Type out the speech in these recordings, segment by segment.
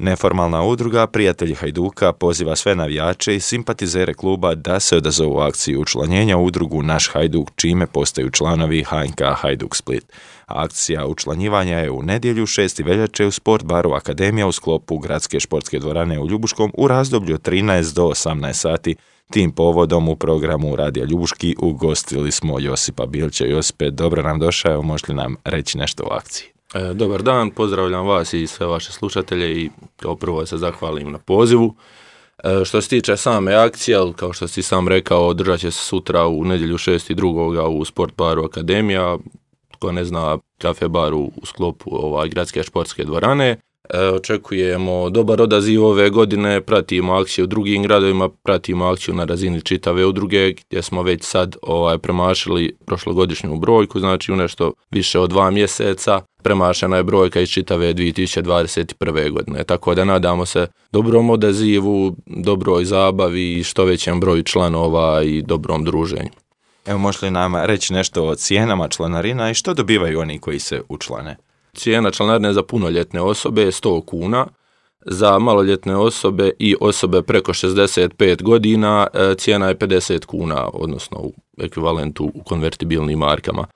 Neformalna udruga Prijatelji Hajduka poziva sve navijače i simpatizere kluba da se odazovu akciji učlanjenja u udrugu Naš Hajduk, čime postaju članovi HNK Hajduk Split. Akcija učlanjivanja je u nedjelju 6. veljače u Sport baru Akademija u sklopu Gradske športske dvorane u Ljubuškom u razdoblju od 13 do 18 sati. Tim povodom u programu Radija Ljubuški ugostili smo Josipa Bilća. Josipe, dobro nam došao, možeš li nam reći nešto o akciji? Dobar dan, pozdravljam vas i sve vaše slušatelje i kao prvo se zahvalim na pozivu. Što se tiče same akcije, kao što si sam rekao, održat će se sutra u nedjelju 6.2. u Sport baru Akademija, tko ne zna, kafe baru u sklopu Gradske športske dvorane. Očekujemo dobar odaziv ove godine, pratimo akciju u drugim gradovima, pratimo akciju na razini čitave udruge gdje smo već sad premašili prošlogodišnju brojku, znači u nešto više od 2 mjeseca premašena je brojka iz čitave 2021. godine, tako da nadamo se dobrom odazivu, dobroj zabavi i što većem broju članova i dobrom druženju. Evo, možeš li nam reći nešto o cijenama članarina i što dobivaju oni koji se učlane? Cijena članarine za punoljetne osobe je 100 kuna, za maloljetne osobe i osobe preko 65 godina cijena je 50 kuna, odnosno u ekvivalentu u konvertibilnim markama.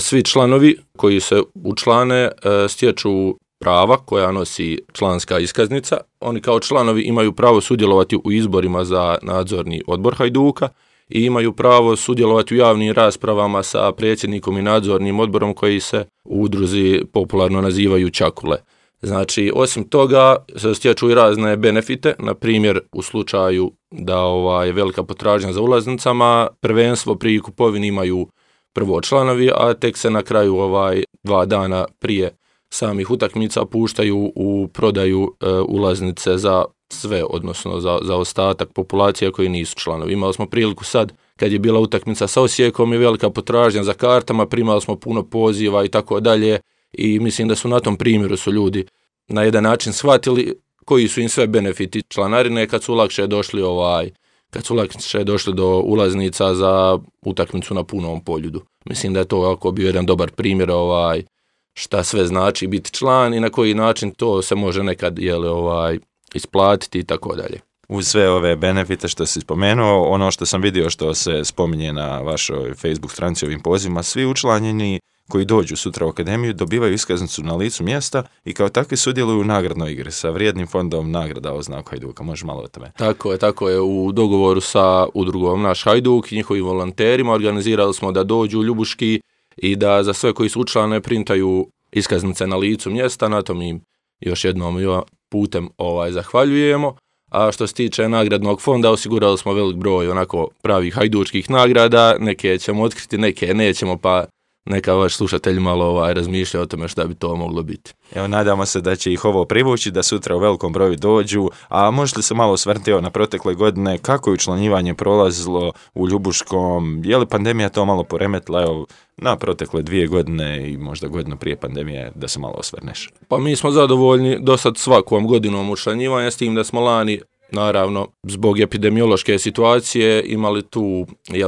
Svi članovi koji se učlane stječu prava koja nosi članska iskaznica. Oni kao članovi imaju pravo sudjelovati u izborima za nadzorni odbor Hajduka i imaju pravo sudjelovati u javnim raspravama sa predsjednikom i nadzornim odborom koji se u udruzi popularno nazivaju čakule. Znači, osim toga se stječu i razne benefite, na primjer u slučaju da je velika potražnja za ulaznicama, prvenstvo pri kupovini imaju prvo članovi, a tek se na kraju 2 dana prije samih utakmica puštaju u prodaju ulaznice za sve, odnosno za ostatak populacije koji nisu članovi. Imali smo priliku sad, kad je bila utakmica sa Osijekom i velika potražnja za kartama, primali smo puno poziva i tako dalje i mislim da su na tom primjeru su ljudi na jedan način shvatili koji su im sve benefiti članarine kad su lakše došli do ulaznica za utakmicu na punom poljudu. Mislim da je to ovako bio jedan dobar primjer šta sve znači biti član i na koji način to se može nekad isplatiti i tako dalje. Uz sve ove benefite što si spomenuo, ono što sam vidio što se spominje na vašoj Facebook stranici ovim pozivima, svi učlanjeni koji dođu sutra u akademiju dobivaju iskaznicu na licu mjesta i kao takvi sudjeluju u nagradnoj igri sa vrijednim fondom nagrada o znaku Hajduka. Može malo o tome? Tako je. U dogovoru sa udrugom Naš Hajduk i njihovim volonterima organizirali smo da dođu u Ljubuški i da za sve koji su učlane printaju iskaznice na licu mjesta. Na tom im još jednom putem zahvaljujemo. A što se tiče nagradnog fonda, osigurali smo velik broj onako pravih hajdučkih nagrada, neke ćemo otkriti, neke nećemo, pa neka vaš slušatelj malo razmišlja o tome šta bi to moglo biti. Evo, nadamo se da će ih ovo privući, da sutra u velikom broju dođu, a možete li se malo osvrnuti na protekle godine, kako je učlanjivanje prolazilo u Ljubuškom, je li pandemija to malo poremetila, na protekle 2 godine i možda godinu prije pandemije, da se malo osvrneš? Pa mi smo zadovoljni do sad svakom godinom učlanjivanja, s tim da smo lani, naravno, zbog epidemiološke situacije imali tu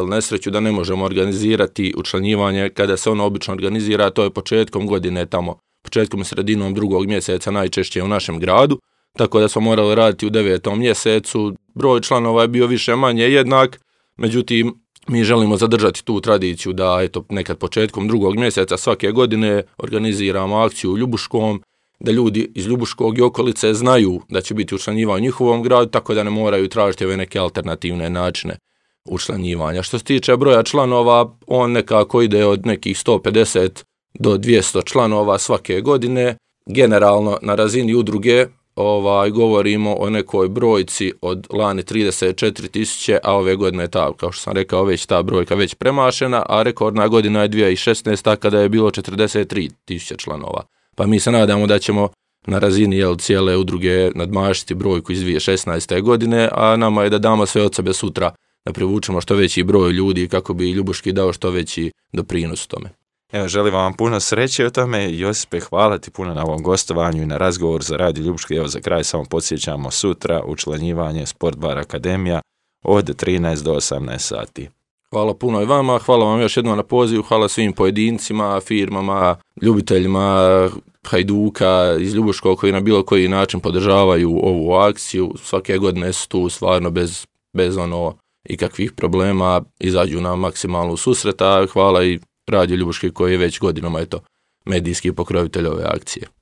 nesreću da ne možemo organizirati učlanjivanje kada se ono obično organizira, to je početkom godine tamo, početkom i sredinom 2. mjeseca najčešće u našem gradu, tako da smo morali raditi u 9. mjesecu, broj članova je bio više manje jednak, međutim mi želimo zadržati tu tradiciju da nekad početkom 2. mjeseca svake godine organiziramo akciju u Ljubuškom, da ljudi iz Ljubuškog i okolice znaju da će biti učlanjivanje u njihovom gradu, tako da ne moraju tražiti ove neke alternativne načine učlanjivanja. Što se tiče broja članova, on nekako ide od nekih 150 do 200 članova svake godine. Generalno na razini udruge govorimo o nekoj brojci od lani 34.000, a ove godine je kao što sam rekao, već ta brojka već premašena, a rekordna godina je 2016. kada je bilo 43.000 članova. Pa mi se nadamo da ćemo na razini cijele udruge nadmašiti brojku iz 2016. godine, a nama je da damo sve od sebe sutra da privučemo što veći broj ljudi kako bi Ljubuški dao što veći doprinos tome. Evo, želim vam puno sreće o tome. Josipe, hvala ti puno na ovom gostovanju i na razgovor za Radio Ljubuški. Evo, za kraj samo podsjećamo sutra učlanjivanje Sport bar Akademija od 13 do 18 sati. Hvala puno i vama, hvala vam još jednom na pozivu, hvala svim pojedincima, firmama, ljubiteljima Hajduka iz Ljubuškog koji na bilo koji način podržavaju ovu akciju. Svake godine su tu stvarno bez ikakvih problema, izađu nam maksimalno u susret, a hvala i Radio Ljubuški koji je već godinama medijski pokrovitelj ove akcije.